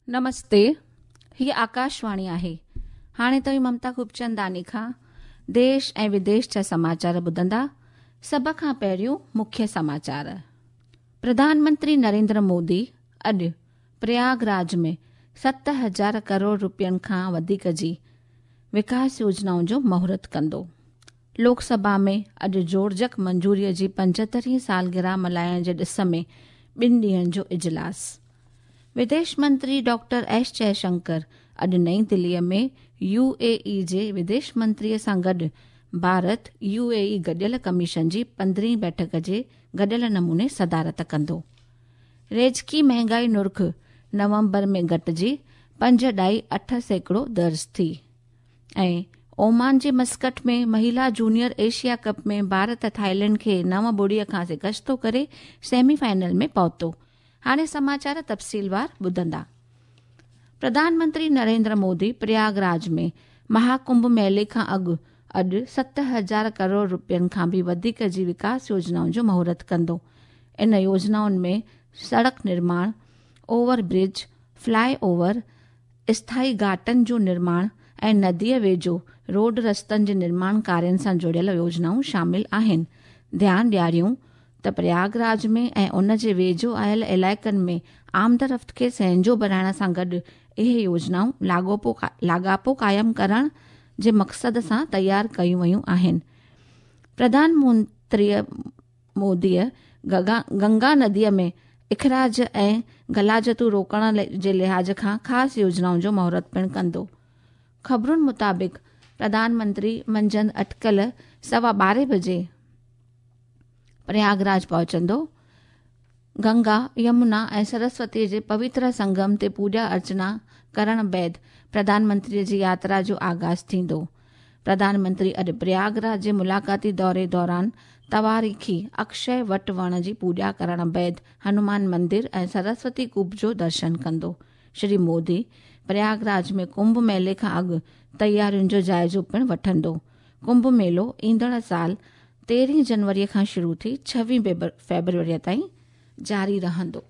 نمستي، هيء آڪاشواڻي آهي. هاڻي توهين ممتا خوبچنداني کان ديش ۽ وديش جا سماچار ٻڌندا. سڀ کان پهريون مکيه سماچار. پرڌان منتري نريندر مودي اڄ پرياگ راج ۾ 7000 ڪروڙ روپين کان وڌيڪ جي وڪاس يوجنائن جو مهورت ڪندو. لوڪ سڀا ۾ اڄ جوڙجڪ منظوريء جي 75هين سالگرهه ملهائڻ جي ڏس ۾ ٻن ڏينهن جو اجلاس. وديش منتري ڊاڪٽر ايس جئشنڪر اڄ نئين دليء ۾ يو اي اي جي وديش منتريء سان گڏ ڀارت يو اي اي گڏيل ڪميشن جي 15هين بيٺڪ جي گڏيل نموني صدارت ڪندو. ريجڪي مهنگائي نرخ نومبر ۾ گهٽجي 5.8% درج ٿي ۽ اومان جي مسقط ۾ مهيلا جونيئر ايشيا ڪپ ۾ ڀارت ٿائيلينڊ کي 9-0 کان شڪستو ڪري سيمي فائنل ۾ پهتو. هاڻي سماچار تفصيلوار ٻڌندا. پرڌان منتري نريندر مودي پرياگ راج ۾ مهاڪنڀ ميلي کان اڳ اڄ 7000 ڪروڙ روپين کان به وڌيڪ جي وڪاس يوجنائن جو مهورت ڪندو. ان يوجنائن ۾ سڙڪ نرماڻ، اوور برج، فلاء اوور، اسٿائي گهاٽن جو نرماڻ ۽ نديء ويجهو روڊ رستن جي نرماڻ ڪارين سان جڙيل يوجنائون شامل آهن. ڌيان ڏياريون ته پرياگ راج ۾ ۽ ان جي ويجهو آيل علائقن ۾ آمدرفت کي سهنجو بڻائڻ سان گڏ اهي يوجنائون لاڳاپو قائم ڪرڻ جي مقصد سان تيار ڪيون ويون آهن. پرڌان منتري موديء گنگا نديء ۾ اخراج ۽ غلاظتون روڪڻ جي لحاظ کان خاص يوجنائن جو مهورت پڻ ڪندو. خبرن مطابق پرڌان منتري منجهند اٽڪل 12:15 بجي پرياگ راج پهچندو. گنگا، يمنا ۽ سرسوتيء جي پوتر سنگم تي پوڄا ارچنا ڪرڻ بعد پرڌان منتريء جي ياترا جو آغاز ٿيندو. پرڌان منتري اڄ پرياگ راج جي ملاقاتي دوري دوران تواريخي اڪشي وٽ وڻ جي پوڄا ڪرڻ بعد هنومان مندر ۽ سرسوتي ڪوپ جو درشن ڪندو. شري مودي پرياگ راج ۾ ڪنڀ ميلي کان اڳ تيارين جو جائزو پڻ وٺندو. ڪنڀ ميلو ايندڙ سال 13 جنوري کان شروع ٿي 26 فيبروري تائين جاري رهندو.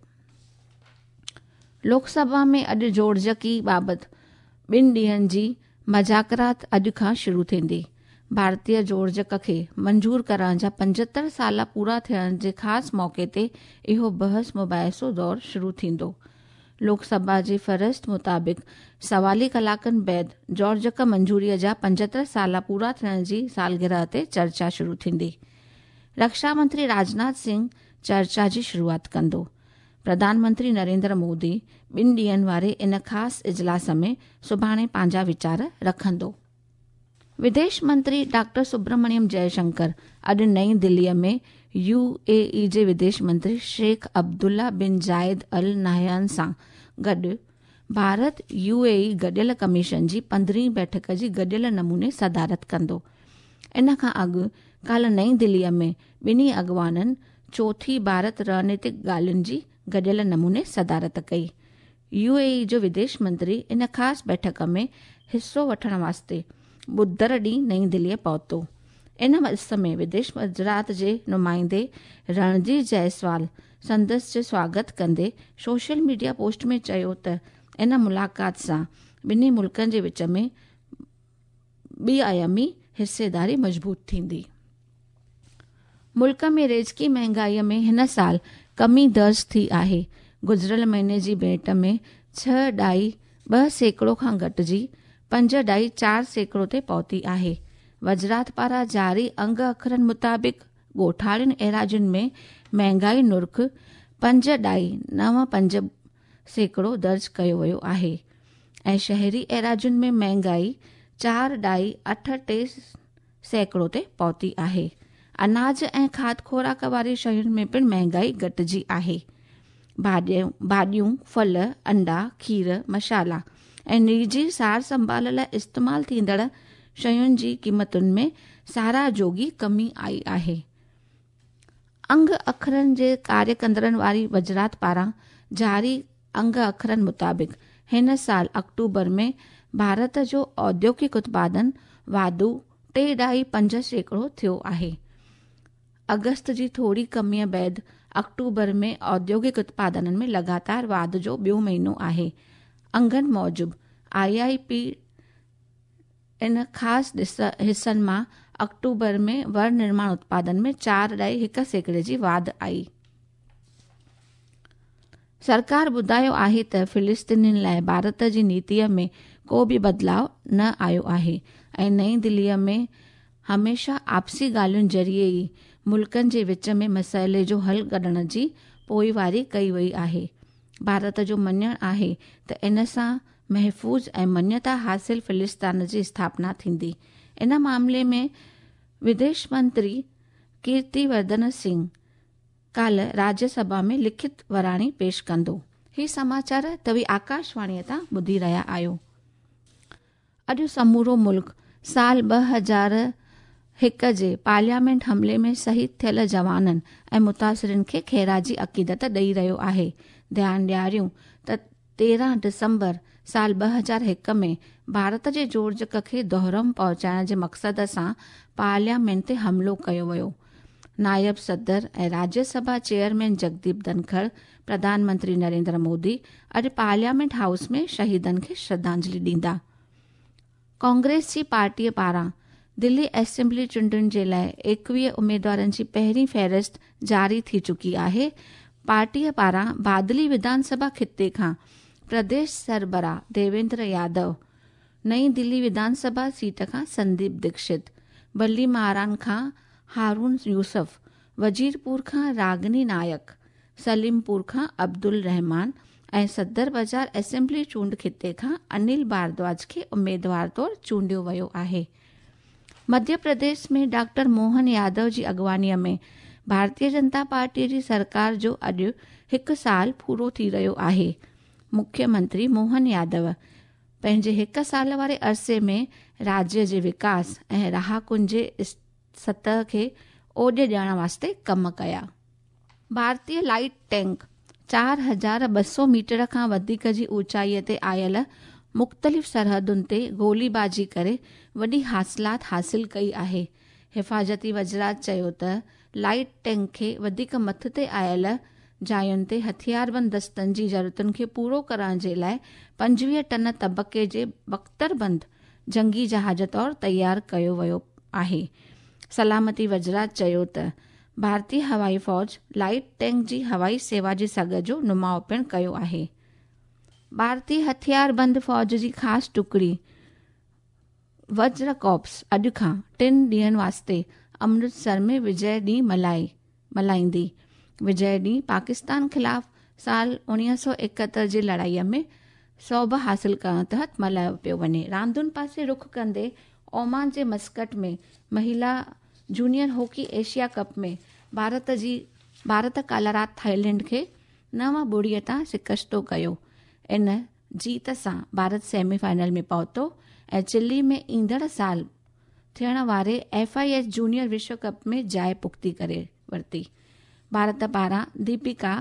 لوڪ سڀا ۾ اڄ جوڙجڪي بابت ٻن ڏينهن جي مذاڪرات اڄ کان شروع ٿيندي. ڀارتي جوڙجڪ کي منظور ڪرڻ جا 75 سال پورا ٿيڻ جي خاص موقعي تي اهو بحث مباحثو دور شروع ٿيندو. لوڪ سڀا جي فهرست مطابق سوالي ڪلاڪن بعد جوڙجڪ منظوري جا 75 سال پورا ٿيڻ جي سالگرهه تي چرچا شروع ٿيندي. رڪشا منتري راجناٿ سنگهه چرچا جي شروعات ڪندو. پرڌان منتري نريندر مودي ٻن ڏينهن واري ان خاص اجلاس ۾ سڀاڻي پنهنجا ويچار رکندو. وديش منتري ڊاڪٽر سبرمڻيم جئشنڪر اڄ نئين دليء ۾ يو اي اي جي وديش منتري شيخ عبدالله بن زايد ال نهيان سان گڏ ڀارت يو اي اي گڏيل ڪميشن جي 15هين بيٺڪ جي گڏيل نموني صدارت ڪندو. ان کان اڳ ڪالهه نئين دليء ۾ ٻنهي اڳواڻن چوٿين ڀارت رڻنيتڪ ڳالهين جي گڏيل نموني صدارت ڪئي. يو اي اي جو وديش منتري ان خاص بيٺڪ ۾ حصو وٺڻ واسطي ٻڌر ڏينهن نئين دليء پهتو. ان ڏس ۾ وديش وزارت جي نمائندي رڻڌير جئسوال سندس جو سواگت ڪندي سوشل ميڊيا پوسٽ ۾ چيو ته ان ملاقات سان ٻنهي ملڪن جي وچ ۾ ٻه آيامي حصيداري مضبوط ٿيندي. ملڪ ۾ ريزڪي مهانگائي ۾ هن سال ڪمي درج ٿي آهي. گذريل مهيني جي ڀيٽ ۾ 6.2% کان گهٽجي 5.4% تي پهتي آهي. وزارت پاران جاري انگ اکرن مطابق ڳوٺاڻين ايراضين ۾ مهانگائي نرخ 5.95% درج ڪيو ويو آهي ۽ شهري ايراضين ۾ مهانگائي 4.83% تي پهتي آهي. اناج ۽ کاڌ خوراڪ واري شين ۾ پڻ مهانگائي گهٽجي آهي. ڀاڄيون، ڦل، انڊا، کير، مصالحا ۽ نجي سار سنڀال لاء استعمال ٿيندڙ شين جي قيمتن ۾ ساراهه جوڳي ڪمي آئي آهي. انگ اکرن جي ڪاريه ڪندڙن واري وزارت پاران جاري انگ اکرن مطابق هن سال آڪٽوبر ۾ ڀارت جو اوديوگڪ اتپادن واڌو 3.5% ٿيو آهي. آگسٽ جي ٿوري ڪميء بعد آڪٽوبر ۾ اوديوگڪ اتپادن ۾ لڳاتار واڌ جو ٻيو مهينو آهي. انگن موجب I I P ان خاص حصن مان آڪٽوبر ۾ ورنرماڻ اتپادن ۾ 4.1% جي واڌ آئي. سرڪار ٻڌايو آهي ته فلسطينين لاءِ ڀارت جي نيتيءَ ۾ ڪو به بدلاءُ نه آيو آهي ۽ نئين دليءَ ۾ هميشه آپسي ڳالهين ذريعي ئي ملڪن جي وچ ۾ مسئلي جو حل ڪڍڻ جي پوئواري ڪئي وئي آهي. ڀارت جو مڃڻ آهي ته ان سان محفوظ ۽ مڃتا حاصل فلسطين جي اسٿاپنا ٿيندي. ان معاملي ۾ وديش منتري ڪيرتي ورڌن سنگهه ڪالهه راجيه سڀا ۾ لکت وراڻي پيش ڪندو. هي سماچار توهين آڪاشواڻيءَ تان ٻڌي رهيا آهيو. اڄ سمورو ملڪ سال 2001 جي پارليامينٽ حملي ۾ شهيد ٿيل جوانن ۽ متاثرين کي خراجي عقيدت ڏئي رهيو آهي. ڌيان ڏياريون ته 13 ڊسمبر سال 2001 ۾ ڀارت جي جوڙجڪ کي دهرم پهچائڻ جي مقصد سان پارليامينٽ تي حملو ڪيو ويو. نائب صدر ۽ راجيه سڀا چيئرمين جگديپ ڌنکڙ، پرڌان منتري نريندر مودي اڄ پارليامينٽ هائوس ۾ شهيدن کي شرڌانجلي ڏيندا. ڪانگريس جي پارٽيءَ پاران دلي اسيمبلي چونڊن جي لاءِ 21 اميدوارن جي پهرين فهرست جاري ٿي چڪي آهي. پارٽيءَ پاران بادلي وڌان سڀا خطي کان پرديش سربراهه ديويندر يادو، نئين دلي وڌان سڀا سيٽ کان سنديپ ديڪشت، بلي ماران کان هارون يوسف، وزيرپور کان راگني نايڪ، سليمپور کان عبدل رحمان ۽ صدر بازار اسيمبلي چونڊ خطي کان انيل ڀاردواج کي اميدوار طور چونڊيو ويو آهي. مڌيه پرديش ۾ ڊاڪٽر موهن يادو جي اڳواڻيءَ ۾ ڀارتيه جنتا پارٽيءَ جي سرڪار جو اڄ هڪ سال پورو ٿي رهيو آهي. مکيه منتري موهن يادو پنهنجي هڪ سال واري عرصي ۾ راجيه جي وڪاس ۽ رهاڪن جي سطح کي اوڄ ڏيڻ واسطي ڪم ڪيا. ڀارتيه لائيٽ ٽينڪ 4200 ميٽر کان وڌيڪ جي اوچائيءَ تي آيل مختلف سرحدن تي گوليبازي ڪري وڏي حاصلات حاصل ڪئي آهي. حفاظتي وزارت چيو ته لائيٽ ٽينڪ کي وڌيڪ مٿتي آيل جاين تي هٿياربند دستن جي ضرورتن کي پورو ڪرڻ جي لاءِ 25 ٽن طبقي جي بختربند جنگي جهاز طور تيار ڪيو ويو آهي. سلامتي وزارت چيو ته ڀارتيه هوائي فوج لائيٽ ٽينڪ جي هوائي سيوا جي سگهه جو نماءُ پڻ ڪيو آهي. ڀارتيه هٿياربند فوج جي خاص ٽڪڙي وجر ڪارپس اڄ کان 3 ڏينهن واسطي امرتسر ۾ وجي ڏينهن ملهائيندي. وجي ڏينهن پاڪستان خلاف سال 1971 جي لڙائيءَ ۾ سوڀ حاصل ڪرڻ تحت ملهايو پيو وڃي. راندن پاسي رخ ڪندي اومان جي مسقط ۾ مهلا جونيئر هاڪي ايشيا ڪپ ۾ ڀارت ڪالهه رات ٿائيلينڊ کي 9-0 تان شڪستو ڪيو. ان جيت سان ڀارت سيمي فائنل ۾ پهتو ۽ چلي ۾ ايندڙ سال ٿيڻ واري ايف I H junior وشو ڪپ ۾ جاءِ پختي ڪري ورتي. ڀارت پاران ديپيڪا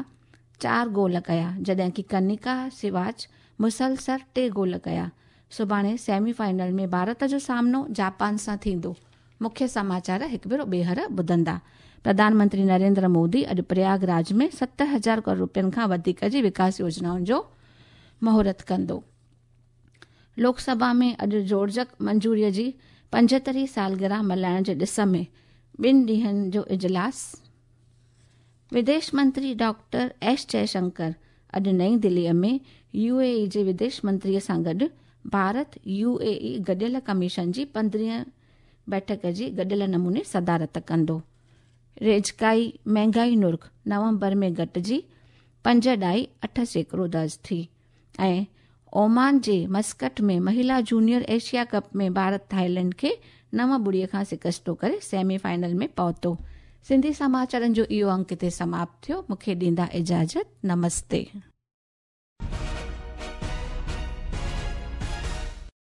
4 گول ڪيا، جڏهن ڪه ڪنيڪا سواچ مسلسل 3 گول ڪيا. سڀاڻي سيمي فائنل ۾ ڀارت جو سامنو جاپان سان ٿيندو. مکيه سماچار هڪ ڀيرو ٻيهر ٻڌندا. پرڌان منتري نريندر مودي اڄ پرياگ راج ۾ 7000 ڪروڙ رپين کان وڌيڪ جي وڪاس يوجنائن جو مهورت ڪندو. لوڪ سڀا ۾ اڄ جوڙجڪ منظوريءَ جي 75 سالگرهه ملهائڻ جي ڏس ۾ 2 ڏينهن جو اجلاس. وديش منتري ڊاڪٽر ايس جئشنڪر اڄ نئين دليءَ ۾ يو اي اي جي وديش منتريءَ سان گڏ ڀارت يو اي اي گڏيل ڪميشن جي 15 بيٺڪ جي گڏيل نموني صدارت ڪندو. ريجڪائي مهانگائي نرخ نومبر ۾ گهٽجي 5.8% درج ٿي. ۽ اومان جي مسقط ۾ مهلا جونيئر ايشيا ڪپ ۾ ڀارت ٿائيلينڊ کي 9-0 کان شڪستو ڪري سيمي فائنل ۾ پهتو. سنڌي سماچارن جو اهو انڪ هتي سماپت ٿيو. مون کي ڏيندا اجازت. نمستي.